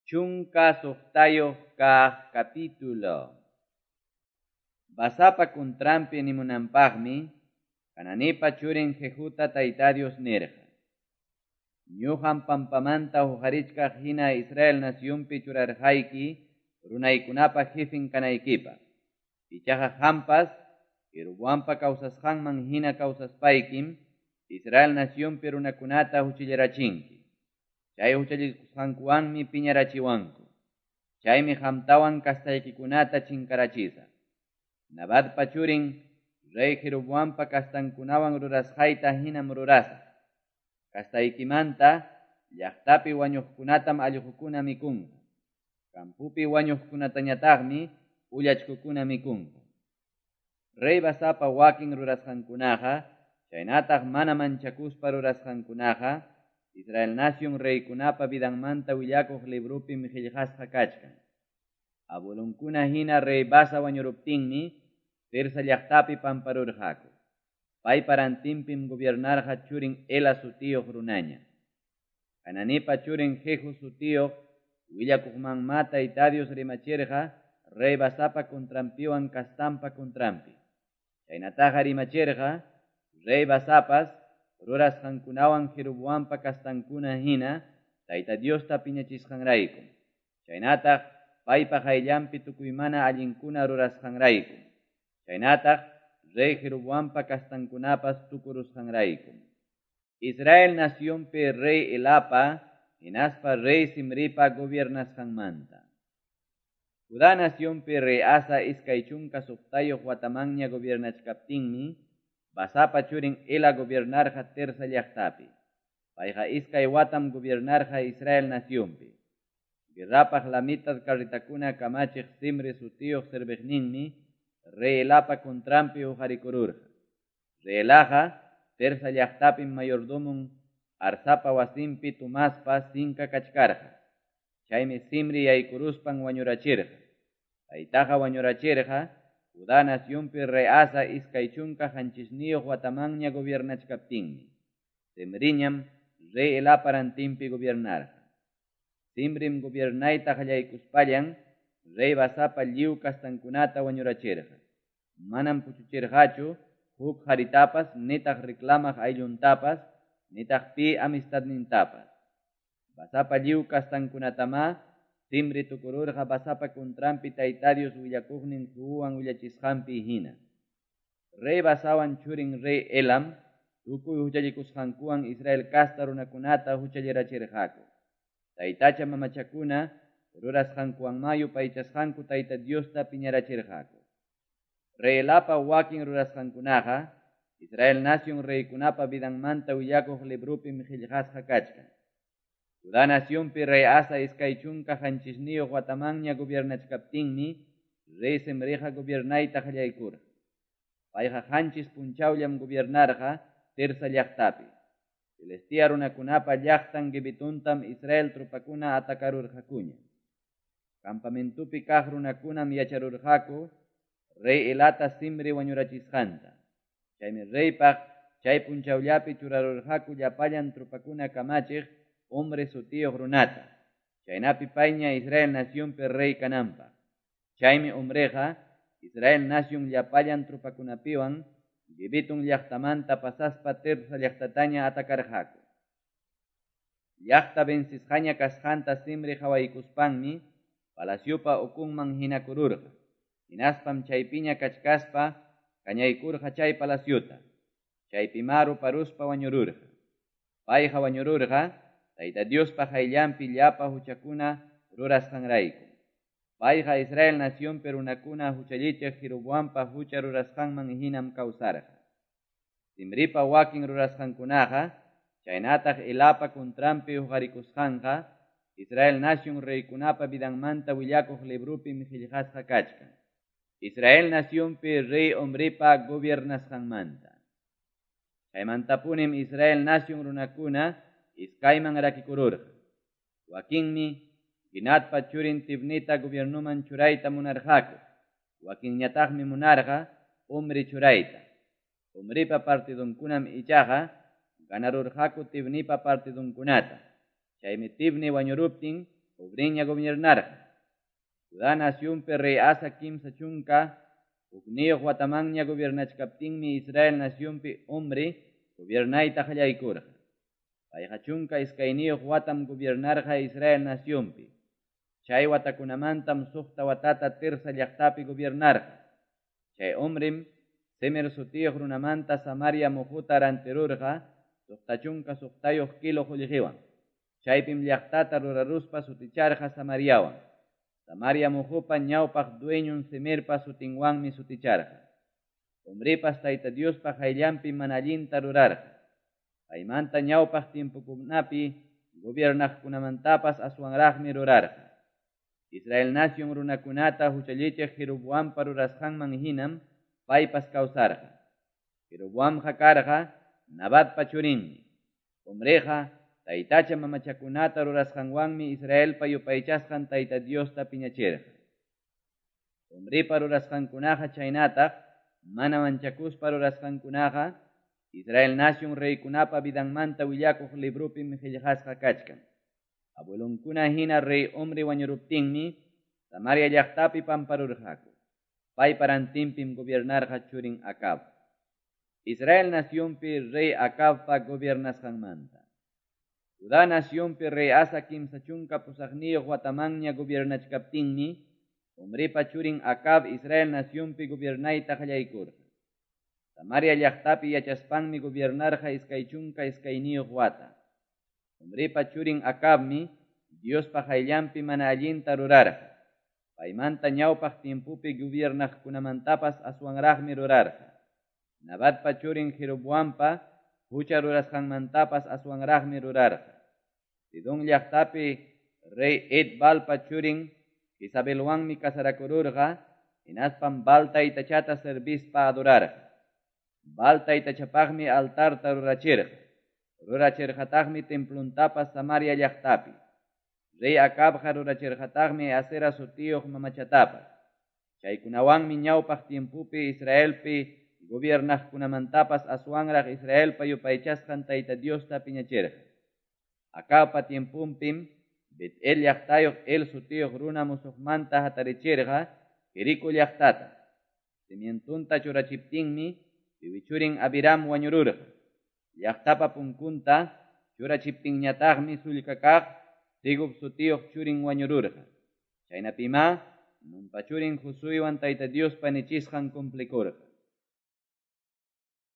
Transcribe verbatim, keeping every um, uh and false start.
Chunka suqtayuq kaq capítulo. Basapa kuntranpi nimunanpaqmi, Hananipa churin Jehuta Tayta Dios nirqa: Ñuqam pampamanta huqarichkaq hina Israel nacionpi churarqayki runaykunapa jefen kanaykipaq. Ichaqa qampas Jeroboampa kawsasqanman hina kawsaspaykim Israel nacionpi runakunata huchallarachinki. Chay huchallikusqankuwanmi piñarachiwanku. Chaymi qamtawan kastaykikunata chinkarachisaq. Nabatpa churin rey Jeroboampa kastankunawan rurasqayta hinam rurasaq. Kastaykimanta llaqtapi wañuqkunatam allqukuna mikunqa. Kampupi wañuqkunatañataqmi ullachkukuna mikunqa. Rey Basapa wakin rurasqankunaqa, chaynataq mana manchakuspa rurasqankunaqa, Israel nación reykunapa vidanmanta willakuq librupim qillqasqa kachkan. Abuelonkuna hina rey Basa wañuruptinmi Tirsa llaqtapi pamparurqaku. Paypa rantinpim gobiernarqa churin Ela sutiyuq runaña. Hananipa churin Jehu sutiyuq willakuqmanma Tayta Dios rimachirqa rey Basapa contranpiwan kastanpa contranpi. Chaynataqa rimachirqa rey Basapas rurasqankunawan Jeroboampa kastankuna hina Tayta Diosta piñachisqanrayku. Chaynataq paypa qayllanpi tukuy mana allinkuna rurasqanrayku. Chaynataq rey Jeroboampa kastankunapas tukurusqanrayku. Israel nacionpi rey Elapa hinaspa rey Zimripa gobiernasqanmanta. Judá nacionpi rey Asa iskay chunka suqtayuq watamanña gobiernachkaptinmi Basapa churin Ela gobiernarqa Tirsa llaqtapi. Payqa iskay watam gobiernarqa Israel nacionpi. Guerrapaq lamitad carretakuna kamachiq Zimri sutiyuq serviqninmi rey Elapa contranpi huqarikururqa. Rey Elaqa Tirsa llaqtapim mayordomon Arsapa wasinpi tumaspa sinka kachkarqa. Chaymi Zimri yaykuruspan wañurachirqa. Paytaqa wañurachirqa Judá nacionpi rey Asa iskay chunka qanchisniyuq watamanña gobiernachkaptinmi. Zimriñam rey Elapa rantinpi gobiernarqa. Zimrim gobiernayta qallaykuspallan rey Basapa lliw kastankunata wañurachirqa. Manam puchuchirqachu huk haritapas, nitaq reclamaq aylluntapas, nitaq pi amistadnintapas. Basapa lliw kastankunatama Zimri tukururqa Basapa contranpi Tayta Dios willakuqnin Jehuwan willachisqanpi hina. Rey Basawan churin rey Elam tukuy huchallikusqankuwan Israel kasta runakunata huchallarachirqaku. Taytacha mamachakuna rurasqankuwanma yupaychasqanku Tayta Diosta piñarachirqaku. Rey Elapa wakin rurasqankunaqa Israel nación reykunapa vidanmanta willakuq librupim qillqasqa kachkan. Judá nacionpi rey Asa iskay chunka qanchisniyuq watamanña gobiernachkaptinmi rey Zimriqa gobiernayta qallaykurqa. Payqa qanchis punchawllam gobiernarqa Tirsa llaqtapi. Filistea runakunapa llaqtan Gibetontam Israel tropakuna atakarurqakuña. Campamentupi kaq runakunam yacharurqaku rey Elata Zimri wañurachisqanta. Chaymi reypaq chay punchawllapi churarurqaku llapallan tropakuna kamachiq hombre sutiyuq runata. Chaynapi payña Israel nacionpi rey kananpaq. Chaymi hombreqa Israel nación llapallan tropakunapiwan Gibeton llaqtamanta pasaspa Tirsa llaqtataña atakarqaku. Llaqta vencisqaña kasqanta Zimri qhawaykuspanmi palaciopa ukunman hinakururqa. Hinaspam chaypiña kachkaspa kañaykurqa chay palaciota. Chaypima ruparuspa wañururqa. Payqa wañururqa Tayta Diospa qayllanpi llapa huchakuna rurasqanrayku. Payqa Israel nacionpi runakuna huchallichiq Jeroboampa hucha rurasqanman hinam kawsarqa. Zimripa wakin rurasqankunaqa, chaynataq Elapa contranpi huqarikusqanqa, Israel nación reykunapa vidanmanta willakuq librupim qillqasqa kachkan. Israel nacionpi rey Omripa gobiernasqanmanta. Chaymantapunim Israel nación runakuna iskayman rakikururqa. Wakinmi Ginatpa churin Tibnita gobiernuman churayta munarqaku. Wakinñataqmi munarqa Omri churayta. Omripa partidunkunam ichaqa ganarurqaku Tibnipa partidunkunata. Chaymi Tibni wañuruptin Omriña gobiernarqa. Judá nacionpi rey Asa kimsa chunka hukniyuq watamanña gobiernachkaptinmi Israel nacionpi Omri gobiernayta qallaykurqa. Payqa chunka iskayniyuq watam gobiernarqa Israel nacionpi. Chay watakunamantam suqta watata Tirsa llaqtapi gobiernarqa. Chay Omrim Semer sutiyuq runamanta Samaria muhuta rantirurqa suqta chunka suqtayuq kilo qullqiwan. Chaypim llaqtata ruraruspa suticharqa Samariawan. Samaria muhupa ñawpaq dueñun Semerpa sutinwanmi suticharqa. Omripas Tayta Diospa qayllanpi mana allinta rurarqa. Paymanta ñawpaq tiempokunapi gobiernaqkunamantapas aswanraqmi rurarqa. Israel nación runakunata huchallichiq Jeroboampa rurasqanman hinam paypas kawsarqa. Jeroboamqa karqa Nabatpa churinmi. Omriqa taytacha mamachakunata rurasqanwanmi Israelpa yupaychasqan Tayta Diosta piñachirqa. Omripa rurasqankunaqa chaynataq mana manchakuspa rurasqankunaqa Israel nación reykunapa vidanmanta willakuq librupim qillqasqa kachkan. Abuelonkuna hina rey Omri wañuruptinmi Samaria llaqtapi pamparurqaku. Paypa rantinpim gobiernarqa churin Acab. Israel nacionpi rey Acabpa gobiernasqanmanta. Judá nacionpi rey Asa kimsa chunka pusaqniyuq watamanña gobiernachkaptinmi Omripa churin Acab Israel nacionpi gobiernayta qallaykurqa. Samaria llaqtapi yachaspanmi gobiernarqa iskay chunka iskayniyuq wata. Omripa churin Acabmi Diospa qayllanpi mana allinta rurarqa. Paymanta ñawpaq tiempopi gobiernaqkunamantapas aswanraqmi rurarqa. Nabatpa churin Jeroboampa hucha rurasqanmantapas aswanraqmi rurarqa. Sidón llaqtapi rey Et-Baalpa churin Jezabelwanmi casarakururqa, hinaspam Baal taytachata servispa adorarqa. Baal taytachapaqmi altarta rurachirqa. Rurachirqataqmi templuntapas Samaria llaqtapi. Rey Acabqa rurachirqataqmi Asera sutiyuq mamachatapas. Chaykunawanmi ñawpaq tiempopi Israelpi gobiernaqkunamantapas aswanraq Israelpa yupaychasqan Tayta Diosta piñachirqa. Acabpa tiemponpim Bet-el llaqtayuq El sutiyuq runa musuqmanta hatarichirqa Jericó llaqtata. Cimientunta churachiptinmi piwi churin Abiram wañururqa. Llaqtapa punkunta churachiptinñataqmi sullka kaq Segub sutiyuq churin wañururqa. Chaynapimá Nunpa churin Josuewan Tayta Diospa nichisqan cumplikurqa.